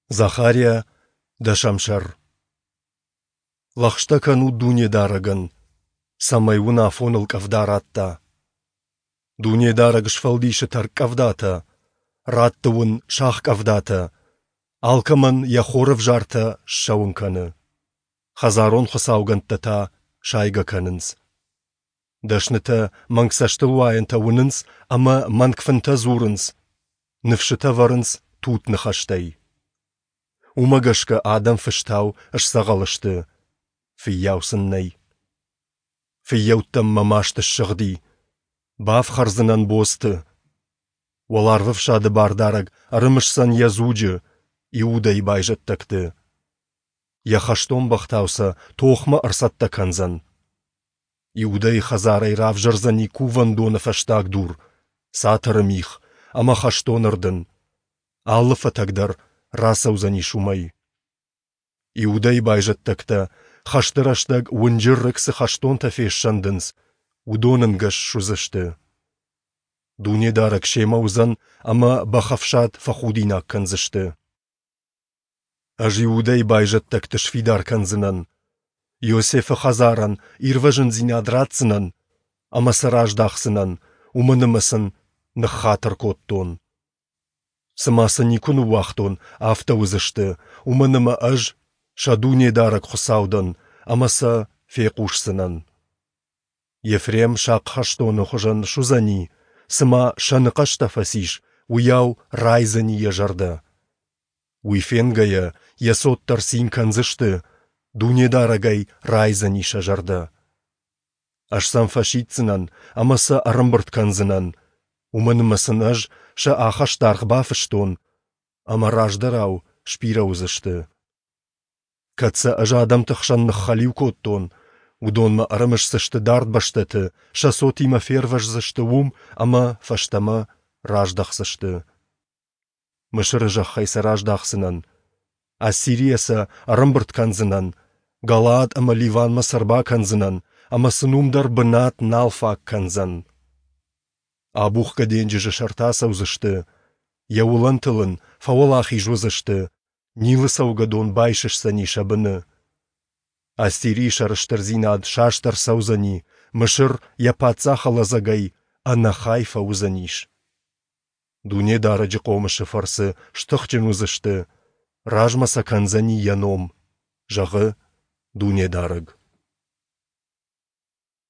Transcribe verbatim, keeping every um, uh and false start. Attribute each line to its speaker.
Speaker 1: Захариа, дӕсӕм сӕр. Лӕгъстӕ кӕнут Дунедарӕгӕн, цӕмӕй уын афоныл къӕвда ратта. Дунедарӕг сфӕлдисы тӕрккъӕвдатӕ, ратты уын сахкъӕвдатӕ, алкӕмӕн йӕ хорӕвзартӕ ссӕуын кӕны. Хӕдзарон хуыцаугӕндтӕ та сайгӕ кӕнынц. Дӕснытӕ мӕнг цӕстылуайӕнтӕ уынынц ӕмӕ мӕнг фынтӕ дзурынц, ныфсытӕ вӕрынц тутт ныхӕстӕй. Уымӕ гӕсгӕ адӕм фыстау сдзӕгъӕл сты, фыййау сын нӕй. Фыййӕуттӕм мӕ маст ссыгъди, бафхӕрдзынӕн бодзты. Уӕларвӕфсады Бардарӕг ӕрымысдзӕн йӕ дзуджы, Иудӕйы байзӕддӕгты. Йӕ хӕстон бӕхтау сӕ тохмӕ ӕрцӕттӕ кӕндзӕн. Иудӕйы хӕдзарӕй равзӕрдзӕни кувӕндоны фӕстаг дур, цатыры мих ӕмӕ хӕстон ӕрдын. Алы фӕтӕг дӕр рацӕудзӕнис уымӕй. Иудӕйы байзӕддӕгтӕ хӕсты рӕстӕг уынджы рыг цы хӕстонтӕ фессӕндынц, уыдон ӕнгӕс суыдзысты. Дунедарӕг семӕ уыдзӕн ӕмӕ бӕхӕфсад фӕхудинаг кӕндзысты. Ӕз Иудӕйы байзӕддӕгты сфидар кӕндзынӕн, Иосифы хӕдзарӕн ирвӕзындзинад ратдзынӕн ӕмӕ сӕ раздахдзынӕн, уымӕн ӕмӕ сын ныххатыр кодтон. Цыма сӕ никуы ныууагътон, афтӕ уыдзысты, уымӕн ӕмӕ Ӕз сӕ Дунедарӕг Хуыцау дӕн ӕмӕ сӕ фехъусдзынӕн. Ефрем сахъ хӕстоны хуызӕн суыдзӕни, цыма сӕны хъӕстӕ фӕцис, уыйау райдзӕни йӕ зӕрдӕ. Уый фенгӕйӕ, йӕ цот дӕр цин кӕндзысты, Дунедарӕгӕй райдзӕни сӕ зӕрдӕ. Ӕз сӕм фӕсиддзынӕн ӕмӕ сӕ ӕрӕмбырд кӕндзынӕн, уымӕн ӕмӕ сын Ӕз сӕ ахӕстаргъ бафыстон, ӕмӕ раздӕрау сбирӕ уыдзысты. Кӕд сӕ Ӕз адӕмты хсӕн ныххӕлиу кодтон, уыдон мӕ ӕрымысдзысты дард бӕстӕты, сӕ цотимӕ фервӕздзысты уым ӕмӕ фӕстӕмӕ раздӕхдзысты. Мысыры зӕххӕй сӕ раздахдзынӕн, Ассирийӕ сӕ ӕрӕмбырд кӕндзынӕн, Галаад ӕмӕ Ливанмӕ сӕ ӕрбакӕндзынӕн, ӕмӕ сын уым дӕр бынат нал фаг кӕндзӕн. Абухгӕ денджызы сӕрты ацӕудзысты, йӕ уылӕнтыл ын фӕуӕлахиз уыдзысты, Нилы цӕугӕдон байсысдзӕни сӕ быны. Ассирийы сӕрыстырдзинад саст ӕрцӕудзӕни, Мысыр йӕ паддзахы лӕдзӕгӕй ӕнӕхай фӕуыдзӕнис. Дунедарӕджы хъомысы фӕрцы стыхджын уыдзысты, размӕ сӕ кӕндзӕни Йӕ ном, зӕгъы Дунедарӕг.